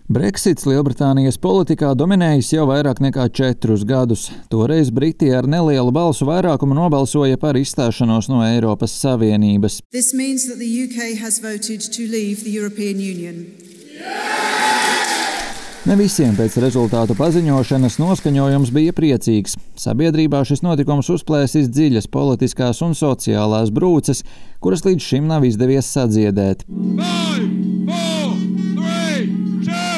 Brexits Lielbritānijas politikā dominējis jau vairāk nekā 4 gadus. Toreiz Briti ar nelielu balsu vairākumu nobalsoja par izstāšanos no Eiropas Savienības. This means that the UK has voted to leave the European Union. Ne visiem pēc rezultātu paziņošanas noskaņojums bija priecīgs. Sabiedrībā šis notikums uzplēsis dziļas politiskās un sociālās brūces, kuras līdz šim nav izdevies sadziedēt. 5, 4, 3, 2, 1.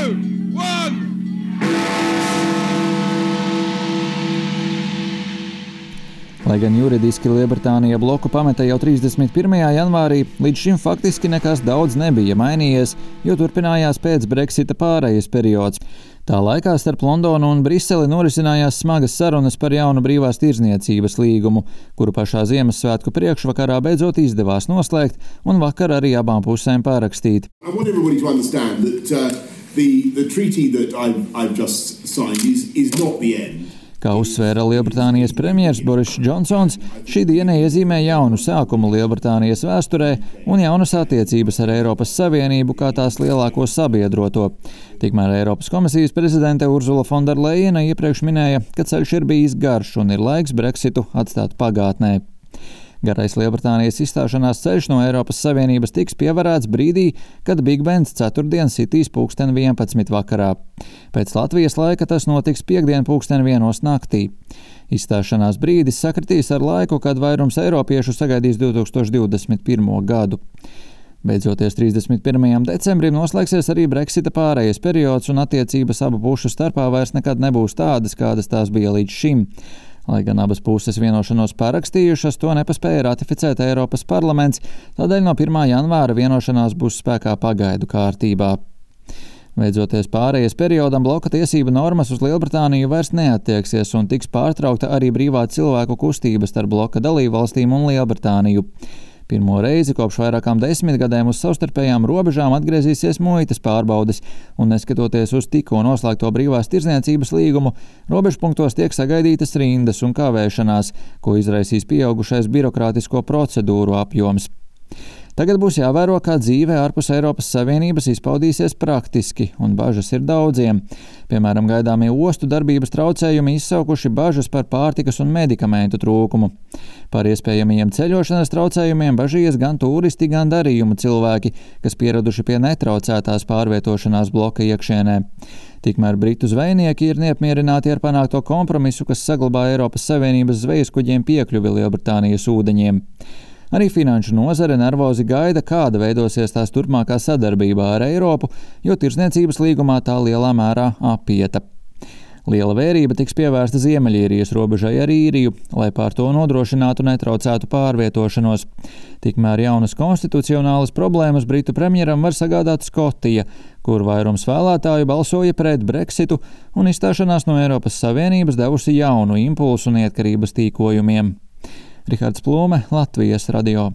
Lai gan juridiski Lielbritānija bloku pameta jau 31. janvārī, līdz šim faktiski nekas daudz nebija mainījies, jo turpinājās pēc Brexita pārejas periods. Tā laikā starp Londonu un Briseli norisinājās smagas sarunas par jaunu brīvās tirdzniecības līgumu, kuru pašā Ziemassvētku priekšvakarā beidzot izdevās noslēgt un vakar arī abām pusēm pārakstīt. Kā uzsvēra Lielbritānijas premjers Boris Džonsons, šī diena iezīmē jaunu sākumu Lielbritānijas vēsturē un jaunas attiecības ar Eiropas Savienību kā tās lielāko sabiedroto. Tikmēr Eiropas komisijas prezidente Ursula von der Leyena iepriekš minēja, ka ceļš ir bijis garš un ir laiks Brexitu atstāt pagātnē. Garais Lielbritānijas izstāšanās ceļš no Eiropas Savienības tiks pievarēts brīdī, kad Big Bens ceturtdien sitīs 11. vakarā. Pēc Latvijas laika tas notiks piektdien 1. naktī. Izstāšanās brīdis sakritīs ar laiku, kad vairums eiropiešu sagaidīs 2021. gadu. Beidzoties 31. decembrim noslēgsies arī Brexita pārejas periods un attiecības abu pušu starpā vairs nekad nebūs tādas, kādas tās bija līdz šim. Lai gan abas puses vienošanos parakstījušas, to nepaspēja ratificēt Eiropas parlaments, tādēļ no 1. janvāra vienošanās būs spēkā pagaidu kārtībā. Beidzoties pārejas periodam, bloka tiesību normas uz Lielbritāniju vairs neattieksies un tiks pārtraukta arī brīvā cilvēku kustība starp bloka dalībvalstīm un Lielbritāniju. Pirmo reizi kopš vairākām 10 gadiem uz savstarpējām robežām atgriezīsies muitas pārbaudes, un neskatoties uz tikko noslēgto brīvās tirdzniecības līgumu, robežpunktos tiek sagaidītas rindas un kavēšanās, ko izraisīs pieaugušais birokrātisko procedūru apjoms. Tagad būs jāvēro, kā dzīve ārpus Eiropas Savienības izpaudīsies praktiski, un bažas ir daudziem. Piemēram, gaidāmie ostu darbības traucējumi izsaukuši bažas par pārtikas un medikamentu trūkumu. Par iespējamajiem ceļošanas traucējumiem bažījies gan turisti, gan darījumu cilvēki, kas pieraduši pie netraucētās pārvietošanās bloka iekšienē. Tikmēr britu zvejnieki ir neapmierināti ar panākto kompromisu, kas saglabā Eiropas Savienības zvejaskuģiem piekļuvi Lielbritānijas ūdeņiem. Arī finanšu nozare nervozi gaida, kāda veidosies tās turpmākā sadarbībā ar Eiropu, jo tirdzniecības līgumā tā lielā mērā apieta. Liela vērība tiks pievērsta Ziemeļīrijas robežai ar Īriju, lai pār to nodrošinātu netraucētu pārvietošanos. Tikmēr jaunas konstitucionālas problēmas britu premjeram var sagādāt Skotija, kur vairums vēlētāju balsoja pret Brexitu un izstāšanās no Eiropas Savienības devusi jaunu impulsu neatkarības tīkojumiem. Rihards Plūme, Latvijas radio.